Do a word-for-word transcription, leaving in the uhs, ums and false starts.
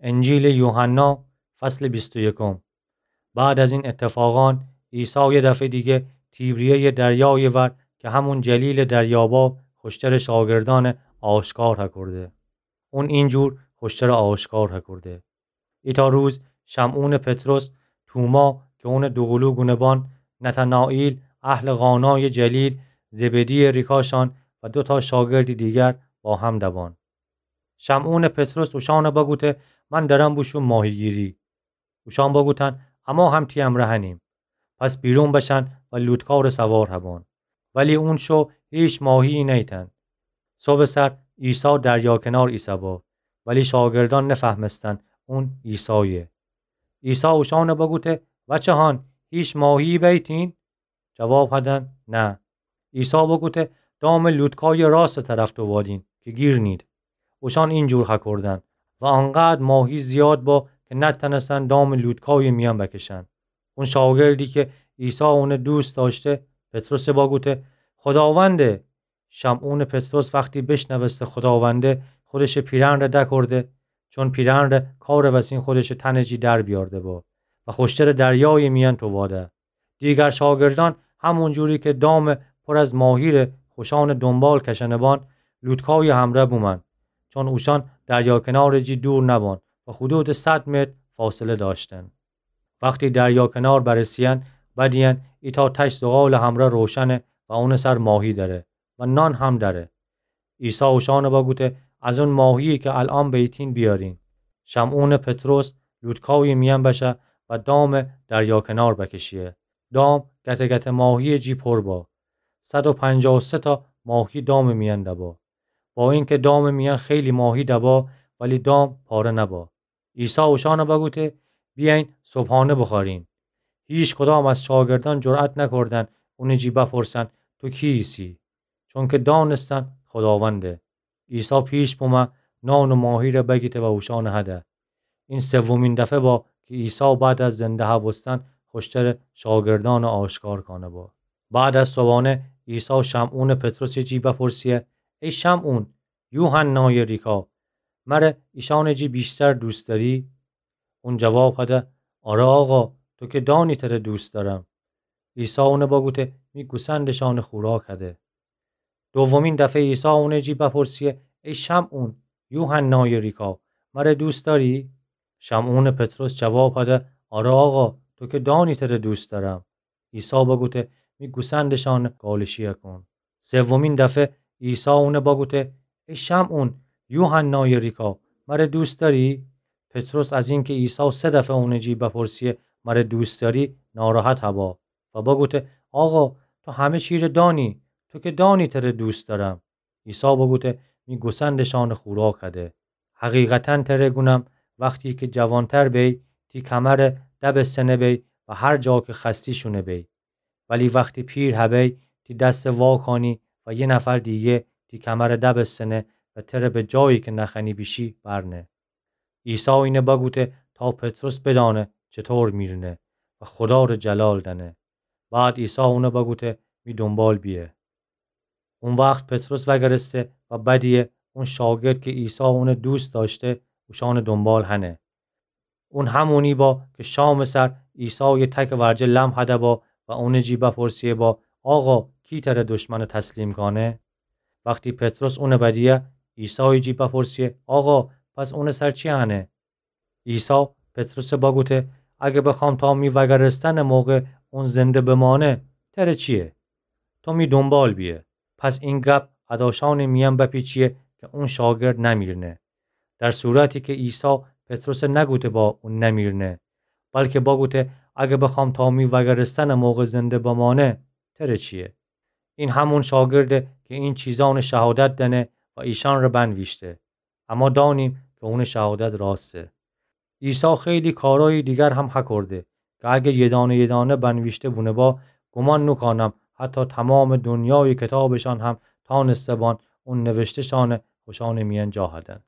انجیل یوحنا، فصل بیست و یکم. بعد از این اتفاقان، عیسی یه دفعه دیگه تیبریهٔ دریای ور که همون جلیل دریابا، خوشتر شاگردان آشکار هکرده. اون اینجور خوشتر آشکار هکرده. ایتا روز شمعون پطرس، توما که اون دوقلو گونه بان، نتنائیل اهل قانای جلیل، زبدی ریکاشان و دوتا شاگرد دیگر با هم دبان. شمعون پطرس اوشان بگوته: من درم بوشوم ماهیگیری. اوشان بگوتن: اما هم تی امرأ هنیم. پس بیرون بشن و لوتکار سوار هبان. ولی اون شو هیچ ماهیی نیتن. صبح سر عیسی دریا کنار ایسه با، ولی شاگردان نفهمستن اون عیسایه. عیسی اوشان بگوته: وچهان، هیچ ماهیی بیتین؟ جواب هدن: نه. عیسی بگوته: دام لوتکای راست طرف تووادین که گیر نید. اوشان اینجور هکردن و آنقدر ماهی زیاد با که نتنستن دام لوتکای میان بکشن. اون شاگردی که عیسی اونه دوست داشته، پطرس بگوته: خداونده! شمعون پطرس وقتی بشنوسته خداونده، خودش پیرهن ره دکرده، چون پیرهن ره کار وسین خودش تن جی در بیارده با و خوشتر دریای میان توواده. دیگر شاگردان همون جوری که دام پر از ماهی ره خوشان دنبال کشنه بان، لوتکای همره بومن، چون اوشان دریا کنار جی دور نبان و حدود صد متر فاصله داشتن. وقتی دریا کنار برسین، بدین ایتا تش زغال همره روشنه و اون سر ماهی دره و نان هم دره. عیسی اوشان بگوته: از اون ماهیی که الان بیتین بیارین. شمعون پطرس لوتکای میان بشه و دام دریا کنار بکشیه. دام گته گته ماهی جی پر با. صد و پنجاه و سه تا ماهی دام میان دبا. با اینکه دام میان خیلی ماهی دبا، ولی دام پاره نبا. عیسی اوشان بگوته: بیاین صبحانه بخورین. هیچ کدام از شاگردان جرأت نکردن اون جی بپرسن: تو کی ایسی؟ چونکه دانستن خداونده. عیسی پیش بومه، نان و ماهی ره بگیته و اوشان هده. این سومین دفعه با که عیسی بعد از زنده هبوستن خوشتر شاگردان آشکار کانه با. بعد از صبحانه عیسی شمعون پطرس جی بپرسیه: ای شمعون، یوحنای ریکا، مره ایشان جی بیشتر دوست داری؟ اون جواب هده: آره آقا، تو که دانی تره دوست دارم. عیسی اونه بگوته: می گوسندشان خوراک هده. دومین دفعه عیسی اونه جی بپرسیه: ای شمعون، یوحنای ریکا، مره دوست داری؟ شمعون پطرس جواب هده: آره آقا، تو که دانی تره دوست دارم. عیسی بگوته: می گوسندشان گالشی کون. سومین دفعه عیسی اونه بگوته: ای شمعون، یوحنای ریکا، مره دوست داری؟ پطرس از اینکه عیسی سه دفعه اونه جی بپرسیه: مره دوست داری؟ ناراحت هبا و بگوته: آقا، تو همه چی ره دانی، تو که دانی تره دوست دارم. عیسی بگوته: می گوسندشان خوراک هده. حقیقتاً تره گونم، وقتی که جوانتر بی، تی کمر دبستنه بی و هر جا که خوأستی شونه بی. ولی وقتی پیر هبی، تی دست واکانی و یه نفر دیگه تی کمر دبستنه و تره به جایی که نخوأنی بیشی برنه. عیسی اینه بگوته تا پطرس بدانه چطور میرنه و خدا ره جلال دنه. بعد عیسی اونه بگوته: می دنبال بیه. اون وقت پطرس وگرسته و بدیه اون شاگرد که عیسی اونه دوست داشته، اوشان دنبال هنه. اون همونی با که شام سر عیسی یه تک ورجه لم هده با و اونه جی بپرسیه با: آقا، کی تره دشمن تسلیم کانه؟ وقتی پطرس اونه بدیه، عیسی جی بپرسیه: آقا، پس اونه سر چی هنه؟ عیسی پطرس بگوته: اگه بخوام تا می وگرستن موقع اون زنده بمانه، تره چیه؟ تو می دنبال بیه. پس این گپ اداشان میان بپیچیه که اون شاگرد نمیرنه. در صورتی که عیسی پطرس نگوته با اون نمیرنه، بلکه بگوته: اگه بخوام تا می وگرستن موقع زنده بمانه، تره چیه؟ این همون شاگرده که این چیزان شهادت دنه و ایشان ره بنویشته. اما دانیم که اون شهادت راسته. عیسی خیلی کارای دیگر هم هکرده که اگه یه دانه یه دانه بنویشته بونه با، گمان نوکانم حتی تمام دنیای کتابشان هم تانسته بان اون نوشته‌شان خوشان میان جا هدن.